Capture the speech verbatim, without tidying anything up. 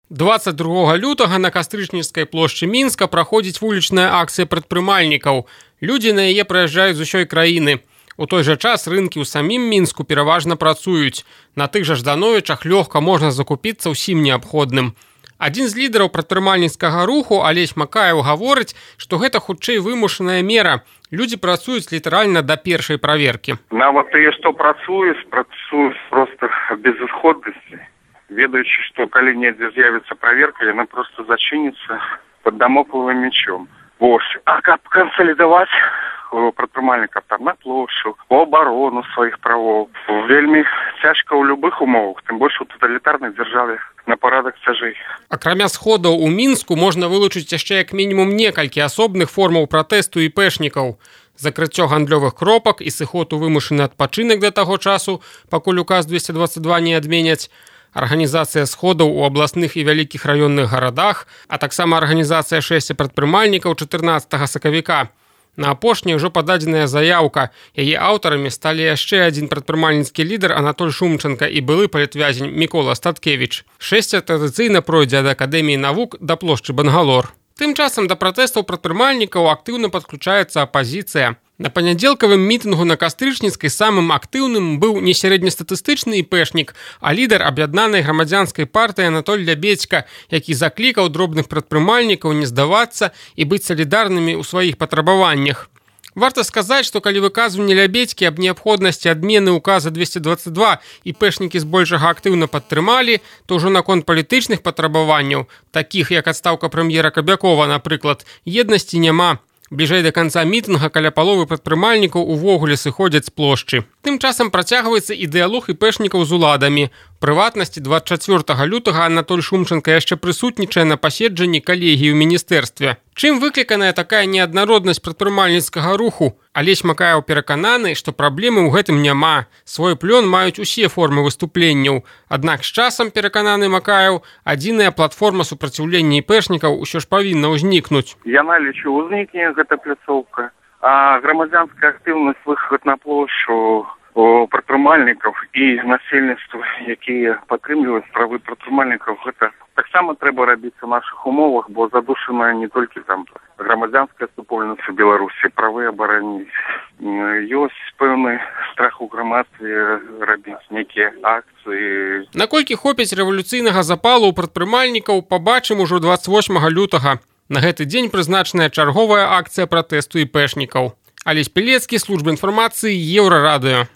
двадцать другога лютага на Кастрычніцкай плошчы Мінска праходзіць вулічная акцыя прадпрымальнікаў. Людзі на яе прыязджаюць з усёй краіны. У той жа час рынкі ў самім Мінску пераважна працуюць. На тых жа Ждановічах лёгка можна закупіцца ўсім неабходным. Адзін з лідараў прадпрымальніцкага руху, Алесь Макаеў, гаворыць, што гэта хутчэй вымушаная мера. Людзі працуюць літаральна да першай праверкі. Нават тыя, што працуюць, працуюць проста без ісходнасці. Ведаючы, што калі недзе з'явіцца праверка, яна проста зачыніцца пад дамокловым мечом. Вось. А каб кансалідаваць прадпрымальнікаў там на плошчу, у абарону сваіх правоў, вельмі цяжка ў любых умовах, тым больш у таталітарнай дзяржаве на парадак цяжэй. Акрамя сходаў у Мінску можна вылучыць яшчэ як мінімум некалькі асобных формаў пратэсту іпэшнікаў. Закрыццё гандлёвых кропак і сыход у вымушаны адпачынак да таго часу, пакуль указ двести двадцать два не адменяць, арганізацыя сходаў у абласных і вялікіх раённых гарадах, а таксама арганізацыя шэсця прадпрымальнікаў чатырнаццатага сакавіка. На апошняй ужо пададзеная заяўка. Яе аўтарамі сталі яшчэ адзін прадпрымальніцкі лідар Анатоль Шумченка і былы палітвязень Мікола Статкевіч. Шэсця традыцыйна пройдзе ад Акадэміі навук да плошчы Бангалор. Тым часам да пратэстаў прадпрымальнікаў актыўна падключаецца апазіцыя. На панядзелкавым мітынгу на Кастрычніцкай самым актыўным быў не сярэднестатыстычны іпэшнік, а лідар аб'яднанай грамадзянскай партыі Анатоль Лябедзька, які заклікаў дробных прадпрымальнікаў не здавацца і быць салідарнымі ў сваіх патрабаваннях. Варта сказаць, што калі выказванне Лябедзькі аб неабходнасці адмены указа двести двадцать два іпэшнікі збольшага актыўна падтрымалі, то ўжо наконт палітычных патрабаванняў, такіх як адстаўка прэм'ера Кабякова, напрыклад, еднасці няма. Бліжэй да канца мітынга каля паловы прадпрымальнікаў увогуле сыходзяць з плошчы. Тым часам працягваецца і дыялог іпэшнікаў з уладамі. У прыватнасці двадцать чацвёртага лютага Анатоль Шумченка яшчэ прысутнічае на паседжанні калегіі ў міністэрстве. Чым выкліканая такая неаднароднасць прадпрымальніцкага руху? Алесь Макаеў перакананы, што праблемы ў гэтым няма. Свой плён маюць усе формы выступленняў. Аднак з часам, перакананы Макаеў, адзіная платформа супраціўлення іпэшнікаў усё ж павінна ўзнікнуць. Яна, лічу, узнікне гэта пляцоўка. А грамадзянская актыўнасць, выхад на плошчу прадпрымальнікаў і насельніцтва, якія падтрымліваюць правы прадпрымальнікаў, гэта таксама трэба рабіць у нашых умовах, бо задушаная не толькі там грамадзянская супольнасць у Беларусі, правы абараніць. Ёсць пэўны страх у грамадстве рабіць нейкія акцыі. Наколькі хопіць рэвалюцыйнага запалу ў прадпрымальнікаў, пабачым ужо двадцать восьмага лютага. На гэты дзень прызначаная чарговая акцыя пратэсту іпэшнікаў. Алесь Пілецкі, служба інфармацыі, Еўрарадыё.